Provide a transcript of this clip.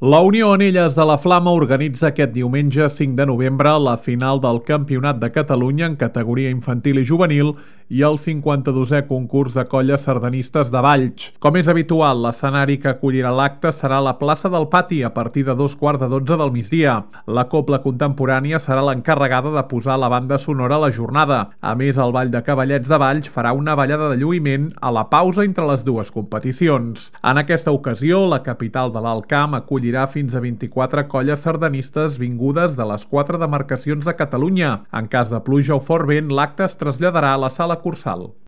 La Unió Anelles de la Flama organitza aquest diumenge 5 de novembre la final del Campionat de Catalunya en categoria infantil i juvenil i el 52è concurs de colles sardanistes de Valls. Com és habitual, l'escenari que acollirà l'acte serà la plaça del Pati a partir de 2:15 del migdia. La cobla contemporània serà l'encarregada de posar la banda sonora a la jornada. A més, el Ball de Cavallets de Valls farà una ballada de lluïment a la pausa entre les dues competicions. En aquesta ocasió, la capital de l'Alt Camp acollirà fins a 24 colles sardanistes vingudes de les 4 demarcacions de Catalunya. En cas de pluja o fort vent, l'acte es traslladarà a la sala Cursal.